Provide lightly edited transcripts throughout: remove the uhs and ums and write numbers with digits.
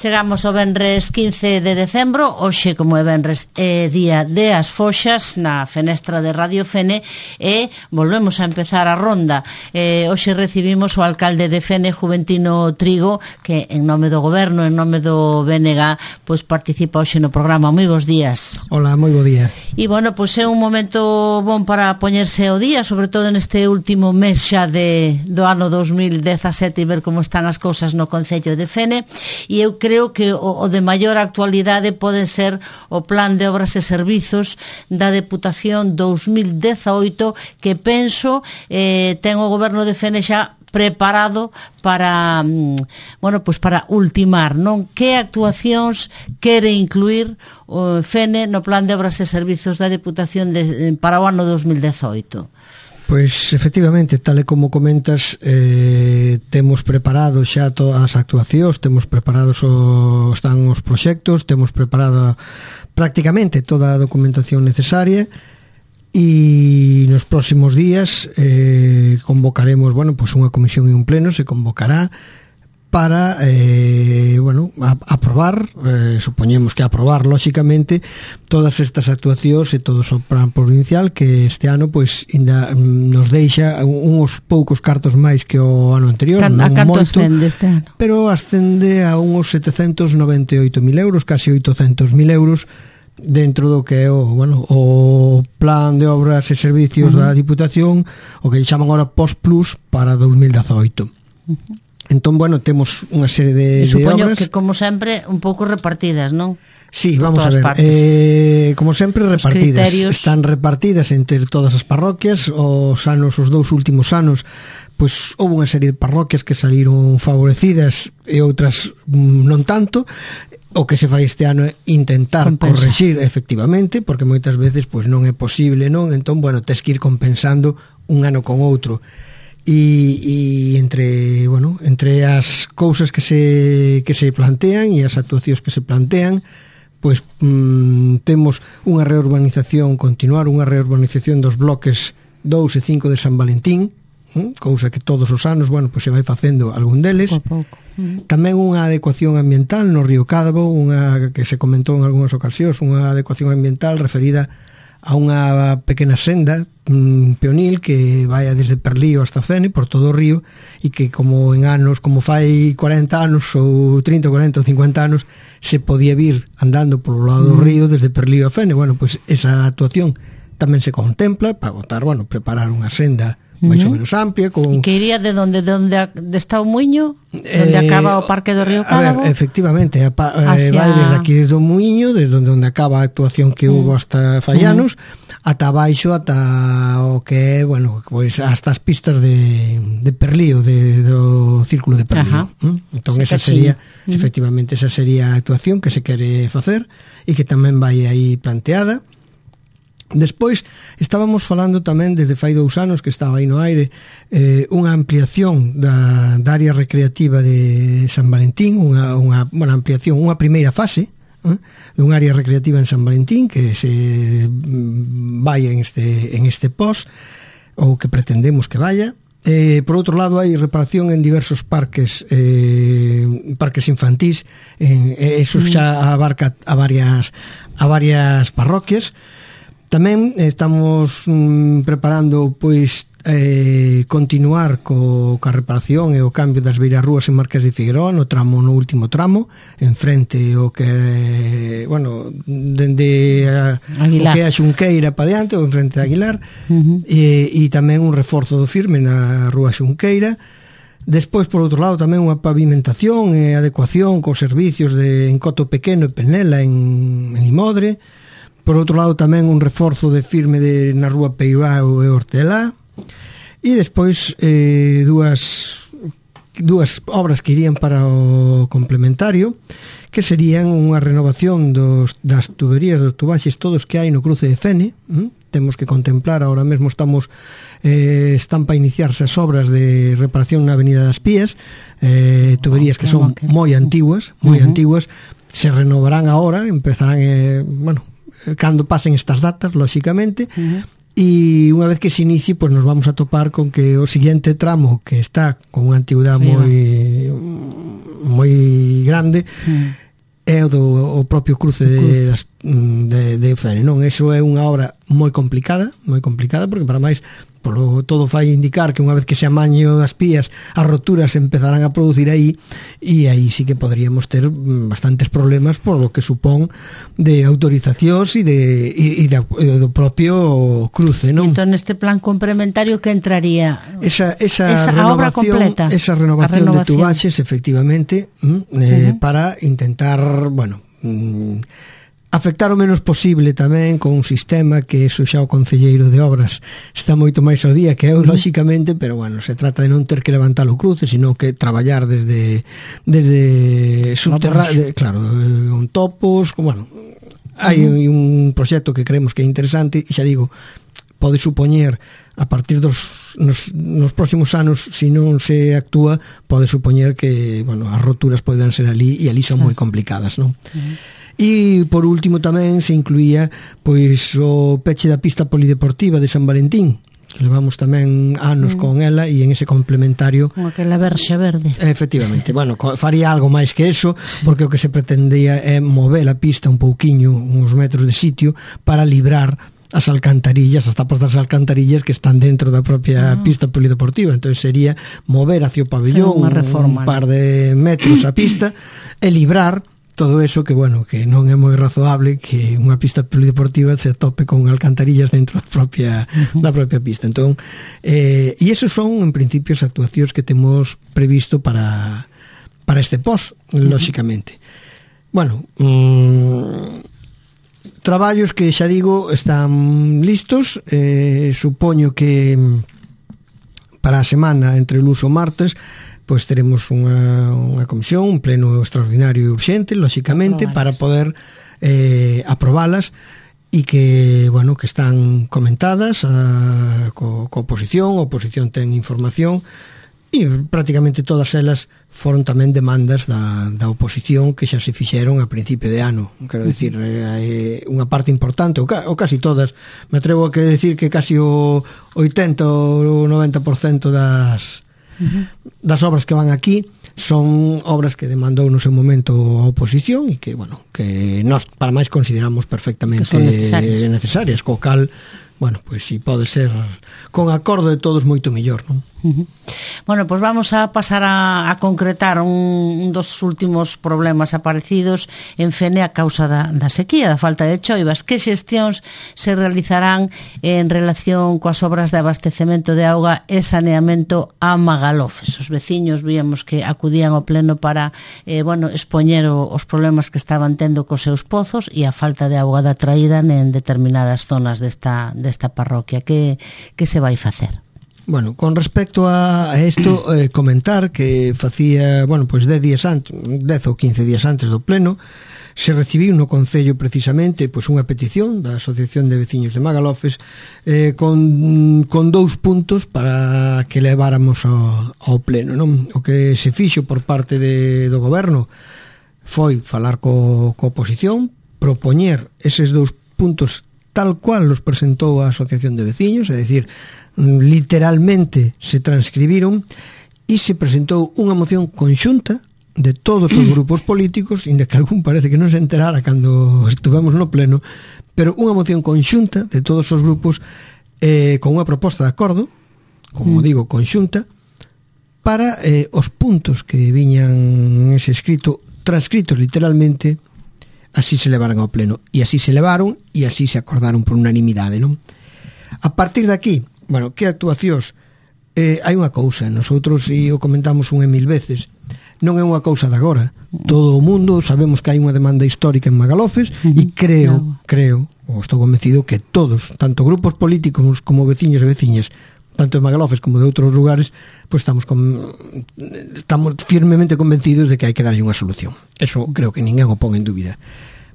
Chegamos ao venres 15 de decembro. Hoxe, como é venres, é día de as foxas na fenestra de Radio Fene e volvemos a empezar a ronda. Hoxe recibimos o alcalde de Fene, Juventino Trigo, que en nome do goberno, en nome do BNG, pois participa hoxe no programa. Moi bons días. Hola, moi bo día. E bueno, pois é un momento bon para poñerse ao día, sobre todo neste último mes xa do ano 2017 e ver como están as cousas no concello de Fene. E eu creo que o de maior actualidade pode ser o Plan de Obras e Servizos da Deputación 2018, que penso ten o goberno de Fene xa preparado para, bueno, pues para ultimar, non? Que actuacións quere incluir o Fene no Plan de Obras e Servizos da Deputación para o ano 2018? Pois, efectivamente, tal e como comentas, temos preparado xa todas as actuacións, temos preparados están os proxectos, temos preparada prácticamente toda a documentación necesaria e nos próximos días convocaremos, bueno, pues unha comisión e un pleno se convocará para, bueno, aprobar, supoñemos que aprobar, lóxicamente, todas estas actuacións e todo o plan provincial que este ano, pois, ainda nos deixa uns poucos cartos máis que o ano anterior, non moito, ascende este ano? Pero ascende a uns 798.000 euros, casi 800.000 euros, dentro do que é o plan de obras e servicios da Diputación, o que chaman agora POS-Plus para 2018. Entón, bueno, temos unha serie de supoño obras. Que, como sempre, un pouco repartidas, non? Sí, vamos a ver, como sempre repartidas, están repartidas entre todas as parroquias. Os dous últimos anos, pois houve unha serie de parroquias que saliron favorecidas e outras non tanto. O que se fai este ano é intentar correxir, efectivamente, porque moitas veces pois non é posible, non? Entón, bueno, tes que ir compensando un ano con outro. E entre as cousas que se plantean e as actuacións que se plantean, pois temos unha continuar unha reurbanización dos bloques 2 e 5 de San Valentín, cousa que todos os anos, bueno, pois se vai facendo algún deles. Pouco. Tamén unha adecuación ambiental no río Cádabo, unha que se comentou en algunhas ocasións, unha adecuación ambiental referida a unha pequena senda peonil que vai desde Perlío hasta Fene, por todo o río, e que como en anos, como fai 40 anos ou 30, 40 ou 50 anos, se podía vir andando polo lado do río desde Perlío a Fene. Bueno, pois esa actuación tamén se contempla para preparar unha senda máis ou menos amplia. E que iría de onde está o Muiño, onde acaba o Parque do Río Cádabo? A ver, efectivamente, vai desde aquí, desde o Muiño, desde onde acaba a actuación que hubo hasta Fallanos, ata abaixo, ata o que é, bueno, pois hasta as pistas de Perlío, do Círculo de Perlío. Entón, esa sería, efectivamente, esa sería a actuación que se quere facer e que tamén vai aí planteada. Despois estábamos falando tamén desde fai 2 anos que estaba aí no aire unha ampliación da área recreativa de San Valentín, unha ampliación, unha primeira fase dun área recreativa en San Valentín que se vai en este POS, ou que pretendemos que vaya. Por outro lado, hai reparación en diversos parques infantís, eso xa abarca a varias parroquias. Tamén estamos preparando, pois, continuar coa reparación e o cambio das beirarrúas en Marqués de Figueroa, no último tramo, en frente o que, bueno, dende o que é a Xunqueira para diante, ou en frente de Aguilar, e tamén un reforzo do firme na rúa Xunqueira. Despois, por outro lado, tamén unha pavimentación e adecuación cos servicios en Coto Pequeno e Penela en Limodre. Por outro lado, tamén un reforzo de firme na rúa Peirao e Hortelá. E despois dúas obras que irían para o complementario, que serían unha renovación das tuberías, dos tubaxes todos que hai no cruce de Fene. Temos que contemplar, ahora mesmo están para iniciarse as obras de reparación na Avenida das Pías, tuberías que son moi antiguas, se renovarán agora, empezarán, cando pasen estas datas, lóxicamente, e unha vez que se inicie, pois nos vamos a topar con que o siguiente tramo, que está con unha antigüedade moi grande, é o propio cruce de Fene, non? Eso é unha obra moi complicada, porque para máis todo fai indicar que unha vez que se amaño das pías, as roturas empezarán a producir aí, e aí sí que podríamos ter bastantes problemas por lo que supón de autorizacións e do propio cruce, non? Entón, neste plan complementario que entraría esa obra completa, esa renovación de tubaxes, efectivamente, para intentar, bueno, afectar o menos posible tamén con un sistema que eso xa o concelleiro de obras está moito máis ao día que eu, lóxicamente, pero bueno, se trata de non ter que levantar o cruce, sino que traballar desde subterráneo, claro, con topos, bueno, hai un proxecto que creemos que é interesante, e xa digo, pode supoñer a partir nos próximos anos, se non se actúa, pode supoñer que, bueno, as roturas poden ser ali, e ali son moi complicadas, non? E por último tamén se incluía pois o peche da pista polideportiva de San Valentín, que levamos tamén anos con ela, e en ese complementario como aquela verxa verde, efectivamente, bueno, faría algo máis que eso, porque o que se pretendía é mover a pista un pouquiño, uns metros de sitio, para librar as alcantarillas, as tapas das alcantarillas que están dentro da propia pista polideportiva. Entón sería mover hacia o pabellón un par de metros a pista e librar todo eso que, bueno, que non é moi razoable que unha pista polideportiva se tope con alcantarillas dentro da propia pista. Entón, e esos son, en principio, as actuacións que temos previsto para este pos, lóxicamente. Bueno, traballos que, xa digo, están listos. Supoño que para a semana entre o luns e o martes pois teremos unha comisión, un pleno extraordinario e urxente, lóxicamente, para poder aprobalas, e que, bueno, que están comentadas co oposición, a oposición ten información, e prácticamente todas elas foron tamén demandas da oposición que xa se fixeron a principio de ano. Quero dicir, unha parte importante, ou casi todas, me atrevo a decir que casi o 80 ou 90% das obras que van aquí son obras que demandou no seu momento a oposición, e que, bueno, que nós para máis consideramos perfectamente necesarias, co cal, bueno, pois si pode ser con acordo de todos moito mellor, non? Bueno, pois vamos a pasar a concretar un dos últimos problemas aparecidos en Fene a causa da sequía, da falta de choivas. Que xestións se realizarán en relación coas obras de abastecemento de auga e saneamento a Magalofes? Os veciños víamos que acudían ao pleno para expoñer os problemas que estaban tendo cos seus pozos e a falta de auga da traída en determinadas zonas desta parroquia. Que se vai facer? Bueno, con respecto a isto, comentar que facía, bueno, pois 10 ou 15 días antes do pleno, se recibiu no Concello precisamente pois unha petición da Asociación de Veciños de Magalofes con 2 puntos para que leváramos ao pleno, non? O que se fixo por parte do goberno foi falar co oposición, propoñer eses 2 puntos tal cual los presentou a Asociación de Veciños, é dicir, literalmente se transcribiron, e se presentou unha moción conxunta de todos os grupos políticos, inda que algún parece que non se enterara cando estuvemos no pleno, pero unha moción conxunta de todos os grupos con unha proposta de acordo, como digo, conxunta, para os puntos que viñan en ese escrito, transcritos literalmente, así se levaran ao pleno. E así se levaron, e así se acordaron por unanimidade, non? A partir de aquí, bueno, que actuacións? Hai unha cousa, nosotros, e o comentamos unha e mil veces, non é unha cousa de agora. Todo o mundo sabemos que hai unha demanda histórica en Magalofes, e creo, ou estou convencido que todos, tanto grupos políticos como veciños e veciñas, tanto de Magalofes como de outros lugares, pois estamos firmemente convencidos de que hai que darlle unha solución. Eso creo que ninguén o pon en dúbida.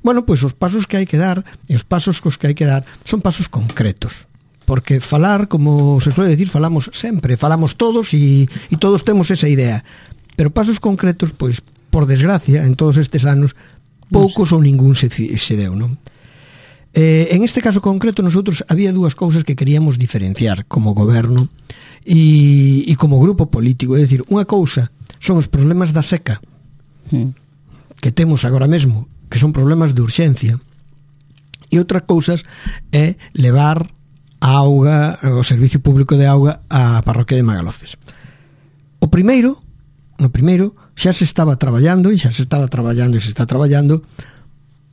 Bueno, pois os pasos que hai que dar, e os pasos cos que hai que dar, son pasos concretos. Porque falar, como se suele decir, falamos sempre, falamos todos e todos temos esa idea. Pero pasos concretos, pois, por desgracia, en todos estes anos, poucos ou ningún se deu, non? En este caso concreto, nosotros había 2 cousas que queríamos diferenciar como goberno e como grupo político. É dicir, unha cousa son os problemas da seca que temos agora mesmo, que son problemas de urxencia, e outra cousas é levar a auga, o servicio público de auga á parroquia de Magalofes. No primeiro xa se estaba traballando e se está traballando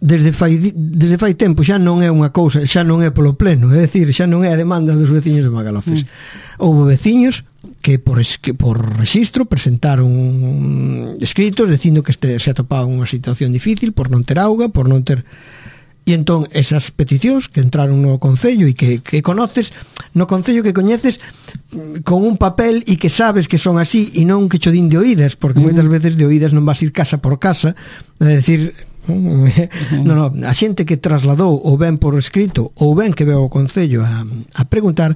desde fai tempo, xa non é unha cousa, xa non é polo pleno, é dicir, xa non é a demanda dos veciños de Magalofes. Houve veciños que por rexistro presentaron escritos dicindo que se atopaban unha situación difícil por non ter auga, por non ter... E entón esas peticións que entraron no Concello e que conoces no Concello, que coñeces con un papel e que sabes que son así e non que cho din de oídas, porque moitas veces de oídas non vas ir casa por casa, é dicir, a xente que trasladou ou ben por escrito ou ben que veo o Concello a preguntar,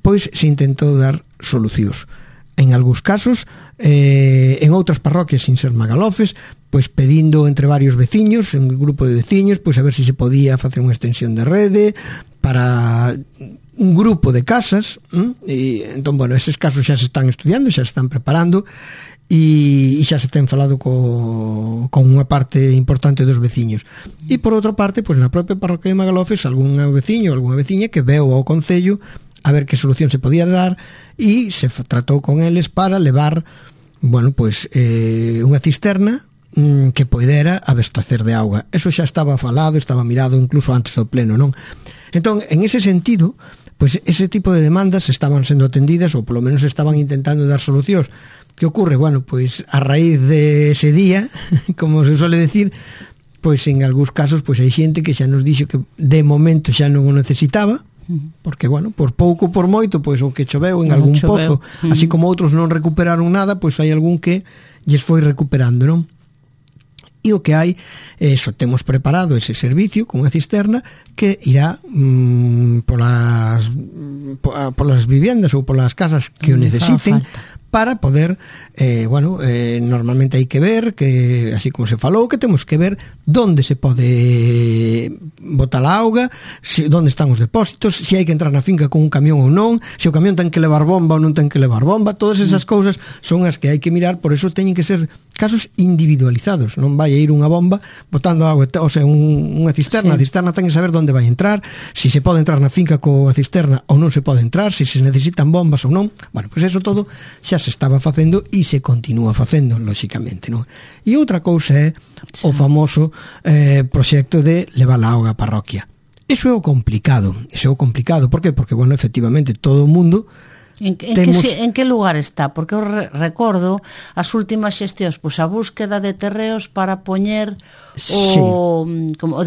pois se intentou dar solucións. En algúns casos, en outras parroquias sin ser Magalofes, pois pedindo entre varios veciños, un grupo de veciños, pois a ver se podía facer unha extensión de rede para un grupo de casas, e entón, bueno, eses casos xa se están estudiando, xa se están preparando, e xa se ten falado con unha parte importante dos veciños. E por outra parte, pois na propia parroquia de Magalofes, algún veciño ou algunha veciña que veu ao Concello a ver que solución se podía dar e se tratou con eles para levar, bueno, pois unha cisterna que poidera abastecer de auga. Eso xa estaba falado, estaba mirado incluso antes do pleno, non? Entón, en ese sentido, pois ese tipo de demandas estaban sendo atendidas ou polo menos estaban intentando dar solucións. Que ocorre? Bueno, pois a raíz de ese día, como se suele decir, pois en algúns casos pois hai xente que xa nos dixo que de momento xa non o necesitaba, porque, bueno, por pouco, por moito, pois o que choveu en algún pozo, así como outros non recuperaron nada, pois hai algún que lles foi recuperando, non? E o que hai é eso, temos preparado ese servicio con unha cisterna que irá polas viviendas ou polas casas que o necesiten, para poder, normalmente hai que ver, que así como se falou, que temos que ver onde se pode botar a auga, onde están os depósitos, se hai que entrar na finca con un camión ou non, se o camión ten que levar bomba ou non ten que levar bomba, todas esas cousas son as que hai que mirar, por eso teñen que ser casos individualizados, non vai a ir unha bomba botando auga, o sea, unha cisterna, a cisterna ten que saber onde vai entrar, se se pode entrar na finca coa cisterna ou non se pode entrar, se necesitan bombas ou non, bueno, pois eso todo xa se estaba facendo e se continúa facendo, lóxicamente, non? E outra cousa é o famoso proxecto de levar a auga á parroquia. Eso é o complicado, por que? Porque, bueno, efectivamente, todo o mundo En que lugar está? Porque eu recordo as últimas xestións, pois a búsqueda de terreos para poñer o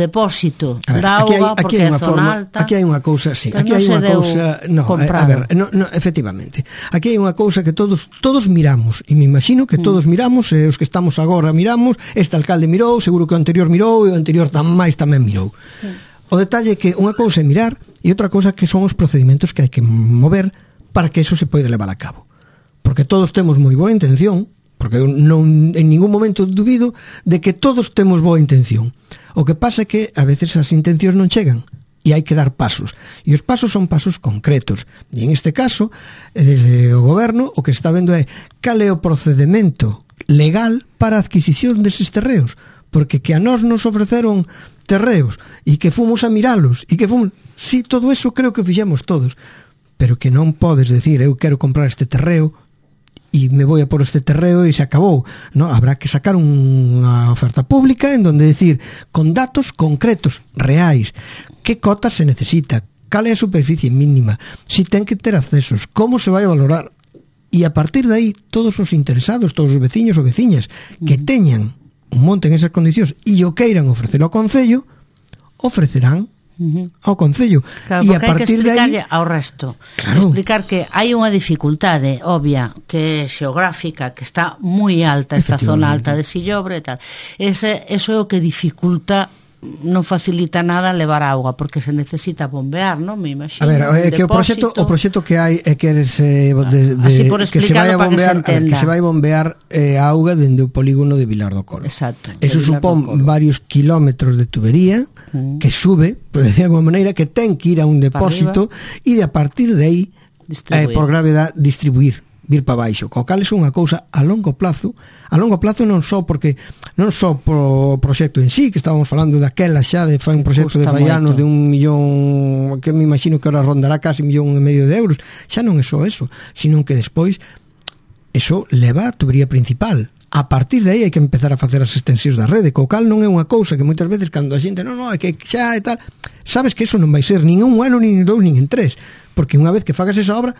depósito da auga, porque é zona alta. Aquí hai unha cousa, sí, aquí hai unha cousa, efectivamente. Aquí hai unha cousa que todos miramos, e me imagino que todos miramos, os que estamos agora miramos, este alcalde mirou, seguro que o anterior mirou, e o anterior tamén mirou. O detalle é que unha cousa é mirar e outra cousa que son os procedimentos que hai que mover para que eso se poida levar a cabo. Porque todos temos moi boa intención, porque eu non en ningún momento dubido de que todos temos boa intención. O que pasa é que a veces as intencións non chegan e hai que dar pasos. E os pasos son pasos concretos. E en este caso, desde o goberno, o que está vendo é cal é o procedimento legal para a adquisición deses terreos. Porque que a nós nos ofreceron terreos e que fomos a miralos e que fomos... Sí, todo eso creo que fixemos todos. Pero que non podes decir, eu quero comprar este terreo e me voy a por este terreo e se acabou. No, habrá que sacar unha oferta pública en donde decir, con datos concretos, reais, que cotas se necesita, cal é a superficie mínima, si ten que ter accesos, como se vai a valorar. E a partir de aí, todos os interesados, todos os veciños ou veciñas que teñan un monte en esas condicións e o queiran ofrecer ao Concello, ofrecerán ao Concello. Claro, e a partir de aí ao resto, explicar que hai unha dificultade obvia que é xeográfica, que está moi alta, esta zona alta de Sillobre e tal. Eso é o que dificulta, non facilita nada levar auga, porque se necesita bombear, non? Me imagino. A ver, é que o proxecto que hai é que que se vai a bombear, que se vai bombear auga dende o polígono de Vilar do Colo. Exacto. Eso supón varios kilómetros de tubería que sube, por decir de alguma maneira, que ten que ir a un depósito e a partir de aí por gravedad distribuir vir para baixo, co cal é unha cousa a longo plazo non só porque non só pro proxecto en sí, que estábamos falando daquela xa de fai un proxecto de faianos de 1 millón, que me imagino que ahora rondará casi 1,5 millón de euros, xa non é só eso, sino que despois eso leva a tubería principal. A partir de aí hai que empezar a facer as extensións da rede, co cal non é unha cousa que moitas veces cando a xente non, é que xa e tal, sabes que eso non vai ser nin un ano, nin en 2, nin en 3, porque unha vez que fagas esa obra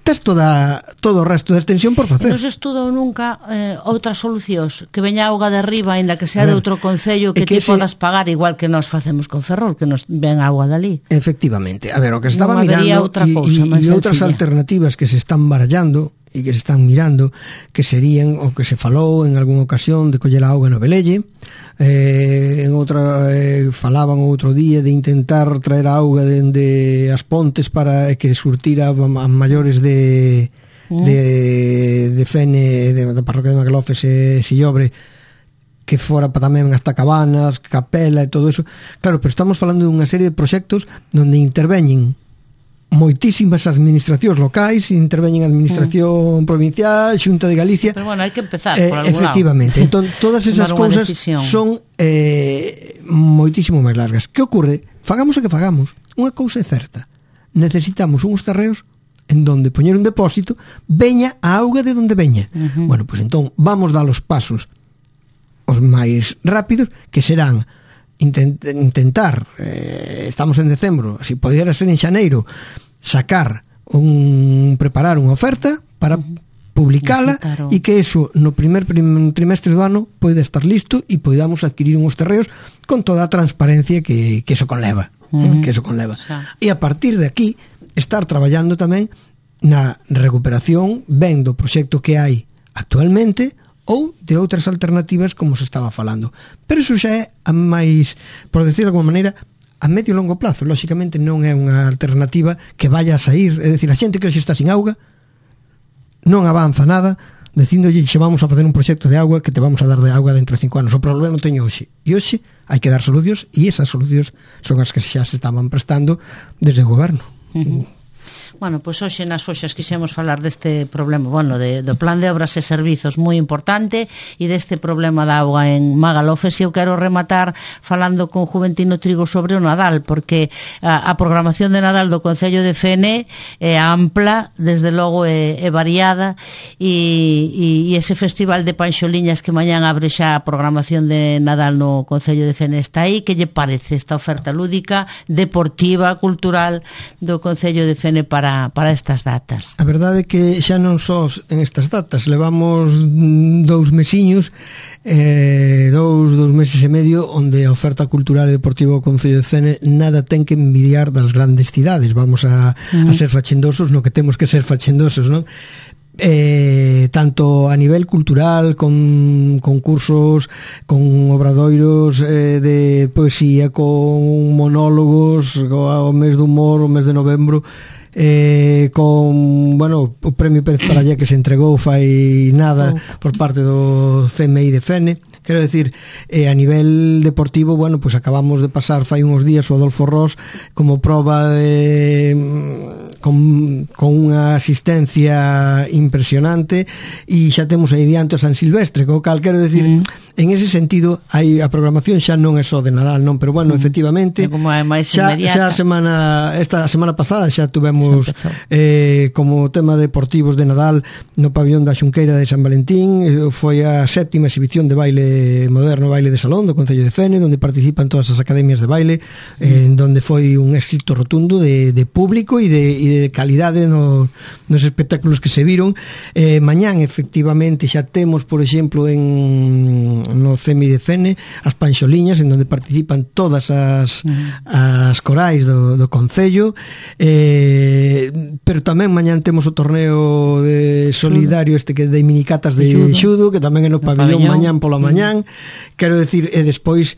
tes todo o resto da extensión por facer. Non se estudou nunca outras solucións, que veña auga de arriba, ainda que sea de outro concello, que ti podas pagar igual que nós facemos con Ferrol, que nos ven auga dali. Efectivamente, a ver, o que estaba mirando e outras alternativas que se están barallando e que se están mirando, que serían o que se falou en algunha ocasión de coller a auga no Velelle, en outra falaban outro día de intentar traer a auga dende as pontes para que surtira a maiores de Fene, da parroquia de Magalofes e Sillobre, que fora para tamén hasta Cabanas, Capela e todo eso. Claro, pero estamos falando dunha serie de proxectos onde interveñen moitísimas administracións locais, interveñen a administración provincial, Xunta de Galicia. Pero bueno, hai que empezar por algún efectivamente. lado. Entón, todas esas cousas son moitísimo máis largas. Que ocorre? Fagamos o que fagamos. Unha cousa é certa. Necesitamos uns terreos en donde poñer un depósito, veña a auga de donde veña. Bueno, pois entón vamos dar os pasos os máis rápidos, que serán intentar, estamos en decembro, se podera ser en xaneiro, preparar unha oferta para publicala e que eso no primer trimestre do ano pode estar listo e podamos adquirir uns terreos con toda a transparencia que eso conleva, e a partir de aquí estar traballando tamén na recuperación ben do proxecto que hai actualmente ou de outras alternativas como se estaba falando. Pero iso xa é a máis, por decir de alguma maneira, a medio e longo plazo. Lóxicamente non é unha alternativa que vaya a sair, é dicir, a xente que hoxe está sin auga non avanza nada dicíndolle xe vamos a facer un proxecto de auga que te vamos a dar de auga dentro de 5 anos. O problema non teño hoxe. E hoxe hai que dar solucións e esas solucións son as que xa se estaban prestando desde o goberno. Bueno, pois hoxe nas Foxas quixemos falar deste problema, bueno, do plan de obras e servizos moi importante e deste problema da auga en Magalofes, e eu quero rematar falando con Juventino Trigo sobre o Nadal, porque a programación de Nadal do Concello de Fene é ampla, desde logo é variada, e ese festival de Panxoliñas que mañán abre xa a programación de Nadal no Concello de Fene está aí. Que lle parece esta oferta lúdica, deportiva, cultural do Concello de Fene para estas datas? A verdade é que xa non só en estas datas, levamos 2 mesiños, 2 meses e medio, onde a oferta cultural e deportiva do Concello de Fene nada ten que envidiar das grandes cidades. Vamos a ser fachendosos no que temos que ser fachendosos, non? Tanto a nivel cultural, con concursos, con obradoiros de poesía, con monólogos, o mes do humor, o mes de novembro, con, bueno, o premio Pérez Parallé que se entregou fai nada por parte do CMI de Fene. Quero decir, a nivel deportivo, bueno, pues acabamos de pasar fai uns días o Adolfo Ros como proba con unha asistencia impresionante, e xa temos aí diante o San Silvestre, co cal quero decir, en ese sentido hai a programación xa non é só de Nadal, non, pero bueno, efectivamente xa esta semana pasada xa tuvemos como tema deportivos de Nadal no pabillón da Xunqueira de San Valentín. Foi a 7ª exhibición de baile moderno, baile de salón do Concello de Fene, onde participan todas as academias de baile, en donde foi un éxito rotundo de público e de calidade nos espectáculos que se viron. Mañán efectivamente xa temos, por exemplo, no CMI de Fene as Panxoliñas, en donde participan todas as corais do Concello, pero tamén mañán temos o torneo de solidario este que de minicatas de xudo, que tamén é no pabillón mañán pola mañán. Quero decir, e despois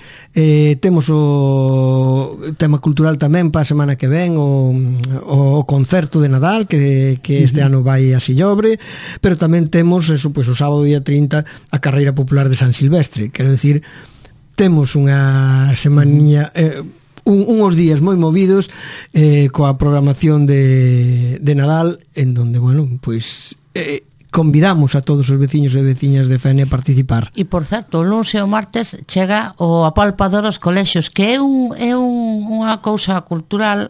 temos o tema cultural tamén para a semana que ven, o concerto de Nadal que este ano vai a Sillobre, pero tamén temos eso, pois, o sábado día 30 a carreira popular de San Silvestre. Quero decir, temos unha semaninha, uns días moi movidos coa programación de Nadal, en donde, bueno, pois convidamos a todos os veciños e veciñas de Fene a participar. E, por certo, o luns e o martes chega o apalpador aos colexios, que é unha cousa cultural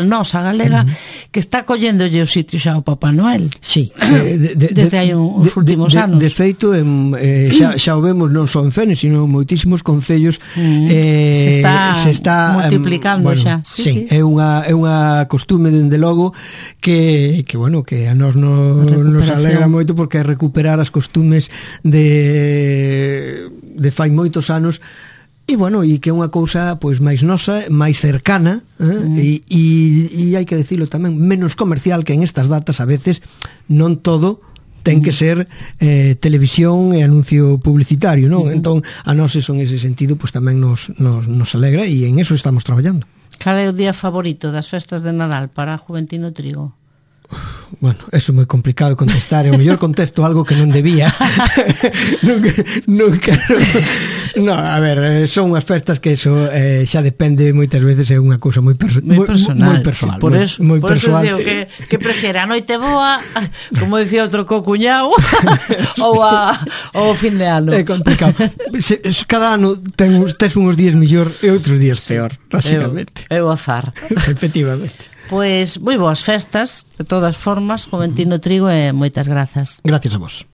nosa, galega, que está collendolle o sitio xa ao Papá Noel. Sí. Desde hai uns últimos anos. De feito, xa o vemos non só en Fene, sino en moitísimos concellos. Se está multiplicando xa. Sí, é unha costume, dende logo, que a nós nos alegra moito, porque é recuperar as costumes de fai moitos anos, e que é unha cousa pois máis nosa, máis cercana, e hai que dicilo tamén, menos comercial, que en estas datas a veces non todo ten que ser televisión e anuncio publicitario, non? Entón, a nós eso, en ese sentido, pois tamén nos alegra, e en eso estamos traballando. Cal é o día favorito das festas de Nadal para Juventino Trigo? Bueno, eso é moi complicado contestar, e o mellor contesto algo que non debía. non quero. No, a ver, son unhas festas que eso xa depende, moitas veces é unha cousa moi personal. Sí, por eso digo que prefiere a noite boa, como dicía outro co-cuñao, ou o fin de ano. É complicado. Cada ano tes uns días mellor e outros días peor, básicamente. É o azar. Efectivamente. Pois moi boas festas, de todas formas, Juventino Trigo, e moitas grazas. Gracias a vos.